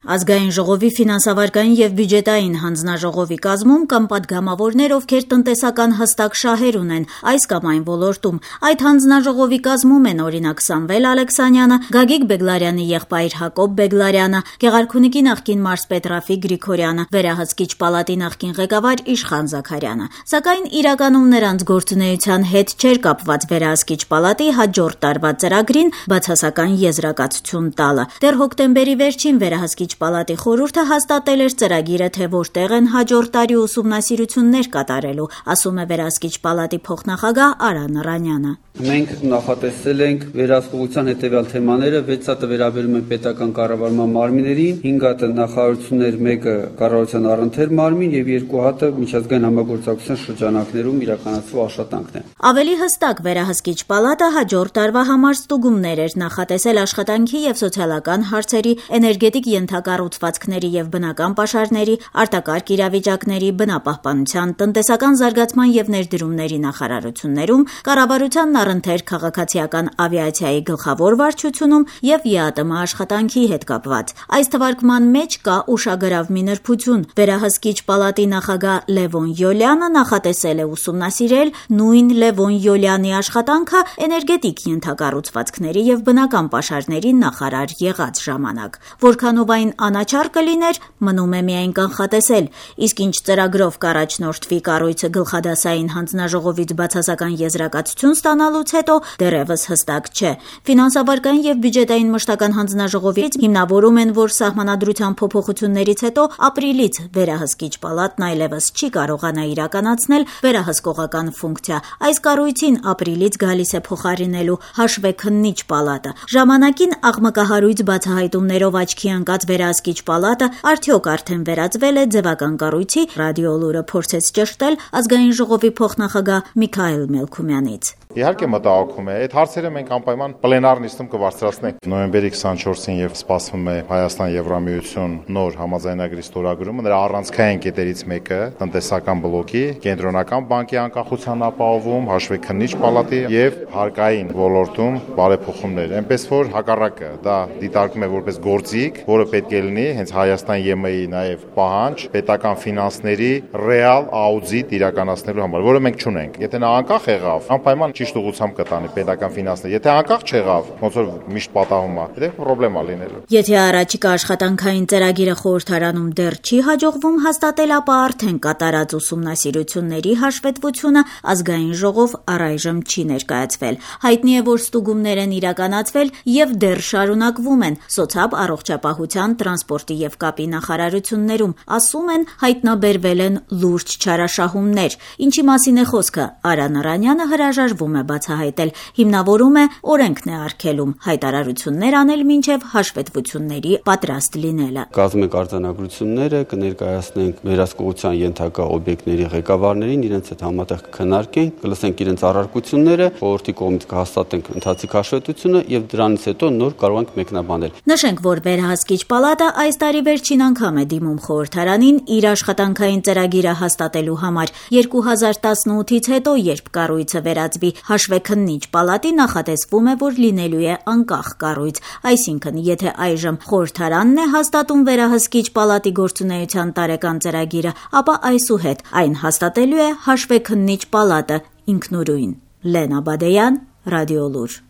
Ազգային ժողովի ֆինանսավարկային եւ բյուջետային հանձնաժողովի կազմում կամ պատգամավորներ, ովքեր տնտեսական հստակ շահեր ունեն այս կամ այն ոլորտում։ Այդ հանձնաժողովի կազմում են օրինակ Սամվել Ալեքսանյանը, Գագիկ Բեգլարյանի եղբայր Հակոբ Բեգլարյանը, Գեղարքունիքի նախկին մարզպետ Ռաֆիկ Գրիգորյանը, Վերահսկիչ պալատի նախկին ղեկավար Իշխան Զաքարյանը։ Սակայն իրականում նրանց գործունեության հետ չէր կապված Վերահսկիչ պալատի հաջորդ տարվա ծրագրին բացասական եզրակացություն տալը։ Դեռ հոկտեմբերի վերջին Վերահսկիչ պալատի խորհուրդը հաստատել էր ծրագիրը, թե որտեղ են հաջորդ տարի ուսումնասիրություններ կատարելու, ասում է Վերահսկիչ պալատի փոխնախագահ Արա Նռանյանը։ Մենք նախատեսել ենք վերահսկողության հետևյալ թեմաները, 6 հատը վերաբերում են պետական կառավարման մարմիններին, 5 հատը նախարարություններ, 1-ը կառավարության առընթեր մարմին եւ 2 հատը միջազգային համագործակցության շրջանակներում իրականացվող աշխատանքն է։ Ավելի հստակ Վերահսկիչ պալատը հաջորդ տարվա համար ստուգումներ էր նախատեսել աշխատանքի եւ սոցիալական հարցերի, էներգետիկ ենթակառուցվածքների եւ բնական պաշարների, արտակարգ իրավիճակների, բնապահպանության, տնտեսական զարգացման եւ ներդրումների նախարարություններում, կառավարության առընթեր քաղաքացիական ավիացիայի գլխավոր վարչությունում եւ ԵԱՏՄ աշխատանքի հետ կապված։ Այս թվարկման մեջ կա ուշագրավ մի նրբություն։ Վերահսկիչ պալատի նախագահ Լևոն Յոլյանը նախատեսել է ուսումնասիրել նույն Լևոն Յոլյանի աշխատանքը էներգետիկ ենթակառուցվածքների եւ բնական պաշարների նախարար եղած ժամանակ։ Որքանով այն անաչառ կլիներ, մնում է միայն կանխատեսել, իսկ ինչ ծրագրով կառաջնորդվի կառույցը գլխադասային հանձնաժողովից բացասական եզրակացություն ստանալուց հետո դեռևս հստակ չէ։ Ֆինանսավարկային եւ բյուջետային մշտական հանձնաժողովից հիմնավորում են, որ սահմանադրության փոփոխություններից հետո ապրիլից Վերահսկիչ պալատն այլևս չի կարողանա իրականացնել վերահսկողական ֆունկցիա։ Այս կառույցին ապրիլից գալիս է փոխարինելու հաշվեքննիչ պալատը։ Ժամանակին աղմկահարույց բացահայտումներով աչքի ընկած Վերահսկիչ պալատը արդյոք արդեն վերածվել է ձևական կառույցի, Ռադիոլուրը փորձեց ճշտել Ազգային ժողովի փոխնախագահ Միքայել Մելքումյանից։ Իհարկե մտահոգում է, այդ հարցերը մենք անպայման պլենար նիստում կբարձրացնենք։ Նոյեմբերի 24-ին եւ սպասվում է Հայաստան-Եվրամիություն նոր համաձայնագրի ստորագրումը, նրա առանցքային կետերից մեկը տնտեսական բլոկի, կենտրոնական բանկի անկախության ապահովում, հաշվեքննիչ պալատի եւ հարկային ոլորտում բարեփոխումներ։ Այնպես որ հակառակը դա դիտարկում է որպես գործիք, որը պետք է լինի հենց Հայաստան-ԵՄ-ի նաեւ պահանջ պետական ֆինանսների ռեալ աուդիտ իրականացնելու համար, որը մենք չունենք։ Եթե նա անկախ եղավ, անպայման ճիշտ ուղղությամբ կտանի պետական ֆինանսները։ Եթե անկախ չեղավ, ոնց որ միշտ պատահում է, դա խնդրեմ է լինելու։ Եթե առաջիկա աշխատանքային ծրագիրը խորհրդարանում դեռ չի հաջողվում հաստատել, ապա արդեն կատարած ուսումնասիրությունների հաշվետվությունը Ազգային ժողով առայժմ չի ներկայացվել։ Հայտնի է, որ ստուգումներ են իրականացվել եւ դեռ շարունակվում են սոցիալ առողջապահության, տրանսպորտի եւ կապի նախարարություններում, ասում են, հայտնաբերվել են լուրջ չարաշահումներ։ Ինչի մասին է խոսքը, Արա Նռանյանը հրաժարվում է բացահայտել, հիմնավորում է օրենքն է արգելում հայտարարություններ անել մինչև հաշվետվությունների պատրաստ լինելը։ Կազմենք արձանագրությունները, կներկայացնենք վերահսկողության ենթակա օբյեկտների ղեկավարներին, իրենց հետ համատեղ կքննարկենք, կլսենք իրենց առարկությունները, խորհրդի կողմից կհաստատենք ընթացիկ հաշվետվությունը եւ դրանից հետո նոր կարող ենք մեկնաբանել։ Նշենք, որ Վերահսկիչ պալատը այս տարի վերջին անգամ է դիմում խորհրդարանին իր աշխատանքային ծրագիրը հաստատելու համար 2018-ից հետո, երբ կառույցը վերածվի հաշվեքննիչ պալատի, նախատեսվում է, որ լինելու է անկախ կառույց, այսինքն եթե այժմ խորհրդարանն է հաստատում Վերահսկիչ պալատի գործունեության տարեկան ծրագիրը, ապա այսուհետ այն հաստատելու է հաշվեքննիչ պալատը ինքնուրույն։ Լենա Բադեյան, Ռադիոլուր։